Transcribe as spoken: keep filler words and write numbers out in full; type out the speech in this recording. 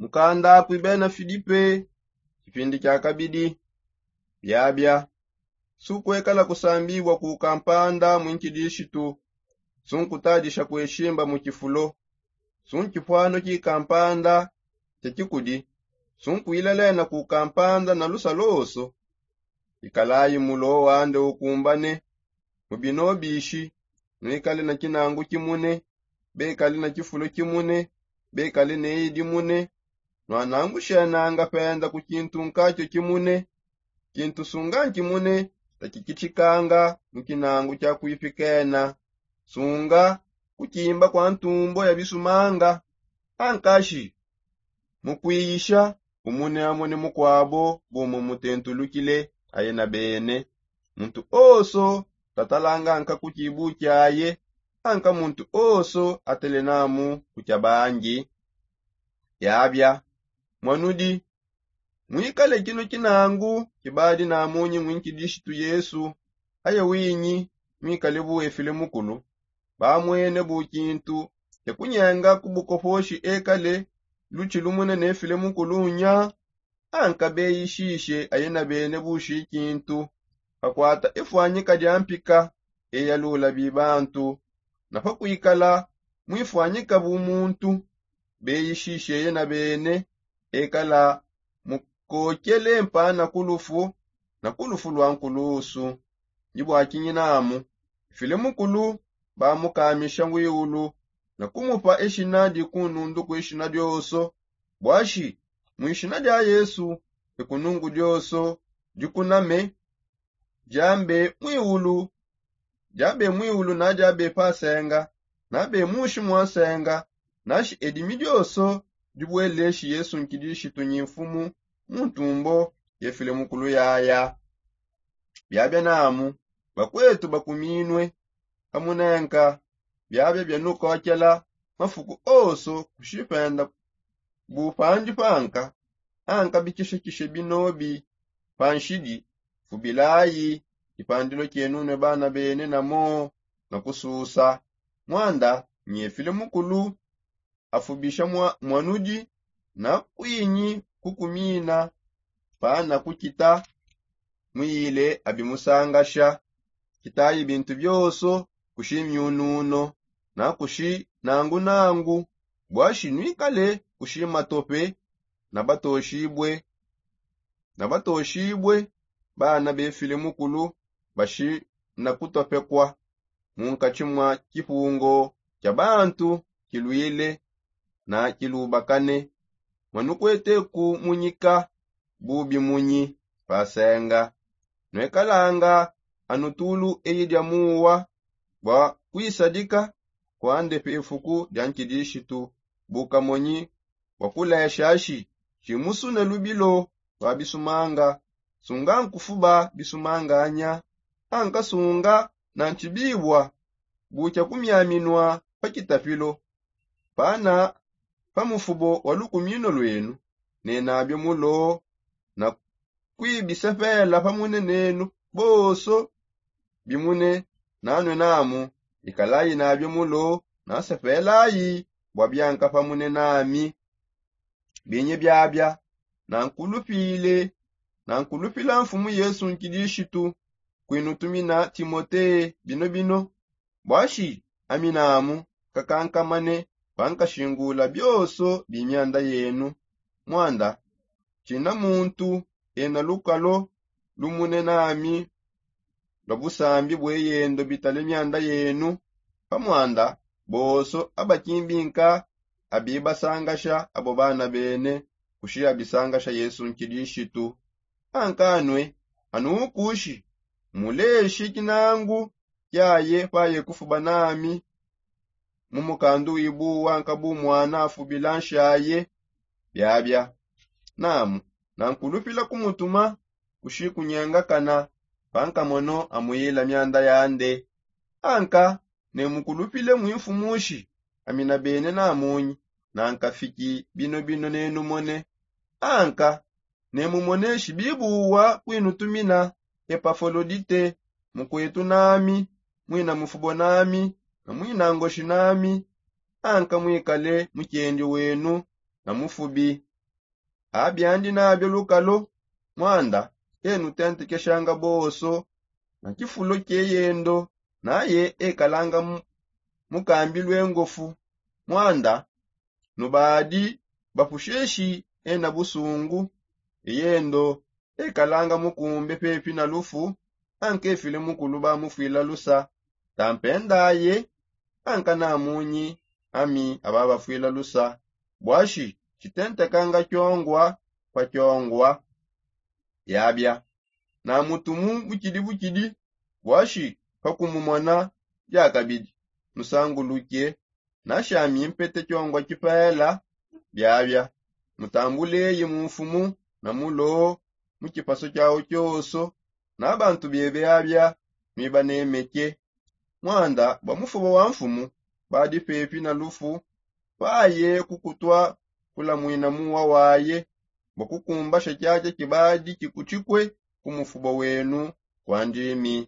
Mukanda kui bena filipe. Kipindi kia kabidi. Biabia. Sunkuekala kusambibua ku kampanda muinkidishitu. Sunkutadisha kueshimba mu kifulo. Sunkipuano ki kampanda. Kia kikudi. Sunkuilalena ku kampanda na lusa loso. Ikalayi mulo wande ukumbane. Mu bino bishi. Nuikale na kinangu kimune. Bekale na kifulo kimune. Bekale ne idi mune. Nuanangushenanga penda ku kintu nkakio kimune. Kintu sunga nkimune. Takikitshikanga mu kinangu kia kuipikena. Sunga kukimba kua ntumbo ya bisumanga. Ankashi mu kuiyisha umune amone mukuabo. Bumue mutentulukile aye na bene. Muntu oso tatalanga nka ku kibu kiaye. Anka muntu oso atele namu ku kia bangi. Biabia. Muanudi. Muikale kino kinangu kibadi namunyi muinkidishitu yesu. Aye winyi muikale buefile mukulu. Bamuene bu kintu kia kunyenga ku bukoposhi ekale lutshi lumune nefile mukulu nya. Anka beyishishe aye na bene bushi kintu. Pakuata ifuanyika dia mpika eyalula bibantu. Na pakuikala muifuanyika bu muntu. Beyishishe eye na bene ekala mukokele mpana ku lufu na ku lufu lua nkulusu. Ndi bua kinyi namu file mukulu bamukamisha wiulu na kumupa eshina dikunundu ku eshina dioso. Buashi mu eshina dia yesu ekunungu dioso dikuname. Diambe muiulu diabe muiulu na diabe pa nsenga. Nabe mushi mua nsenga. Nashi edimi dioso dibueleshi yesu nkidishitu nyi mfumu mu ntumbo yefile mukulu yaya. Biabia namu bakuetu bakuminue pamunenka. Biabia bianukokela mafuku oso kushipenda bu pandi panka. Anka bikishekishe binobi panshidi fubilayi. Kipandilo kienunue bana bene namo na kususa. Muanda nyefile mukulu afubisha muanudi na kuinyi kukumina. Pana kukita muyile abimusangasha. Kitayi bintu bioso kushi miununo na kushi nangunangu. Buashi nuikale kushi matope na batoshibue na batoshibue. Bana befile mukulu bashi na kutopekua munkatshi mua kipungo kia bantu kiluile na kilubakane. Muanukuete ku munyika bubi munyi pa nsenga. Nuekalanga anu tulu eyi dia muwa bua kuisadika kuande pefuku dia nkidishitu. Bukamonyi bua kulesha shi tshimusune lubilo lua bisumanga. Sunga nkufuba bisumanganya. Anka sunga na ntshibibua bukia kumiaminua pa kitapilo. Pana pa mufubo wa lukumino luenu. Nenabio mulo na kuibisepela pamune nenu bonso. Bimune nanue namu ikalayi nabio mulo nasepelayi bua bianka pamune nami. Binyi biabia nankulupile nankulupila mfumu yesu nkidishitu kuinutumina timote. Bino bino buashi ami namu kakankamane pankashingula bioso bi mianda yenu. Muanda tshina muntu ena lukalo lumune nami lua busambi bueyendo bitale mianda yenu. Pamuanda bonso abakimbinka abibasangasha abo bana bene kushi abisangasha yesu nkidishitu. Ankanue anukushi muleshi kinangu kiaye paye kufuba nami mu mukandu wibuwa nkabu muana afubila nshaye. Biabia namu nankulupila kumutuma kushi kunyengakana pankamono amuyila mianda yande. Anka nemukulupile muimfumushi amina bene namunyi nankafiki bino bino nenumone. Anka nemumoneshi bibuwa kuinutumina epafolodite mukuetu nami muina mufubo nami na muina ngoshi nami. Anka muikale mukiendi wenu na mufubi. Abiandi nabio lukalo. Mwanda enutentekeshanga boso na tshifulo tshieyendo, naye ekalanga mukambi lwengofu. Mwanda nubadi bapusheshi ena busungu. Eyendo ekalanga mukumbe pepi na lufu. Ankefile mukulu bamufwila lusa. Tampendaye ankanamunyi ami ababafwila lusa. Bwashi tshitentekanga tshiongwa pa tshiongwa. Yabia na mutumu butshidi butshidi. Bwashi pakumumona diakabidi musanguluke. Nashami mpete tshiongwa tshipela. Biabia mutambuleye mu mfumu na mulo mu tshipaso tshiawu tshioso. Na bantu bebe abia nuibanemeke. Mwanda bua mufuba wa mfumu badi pepi na lufu. Paye kukutwa kulamwina muwa waye bua kukumbasha tshiatshia tshibadi tshikutshikue ku mufuba wenu. Kua ndimi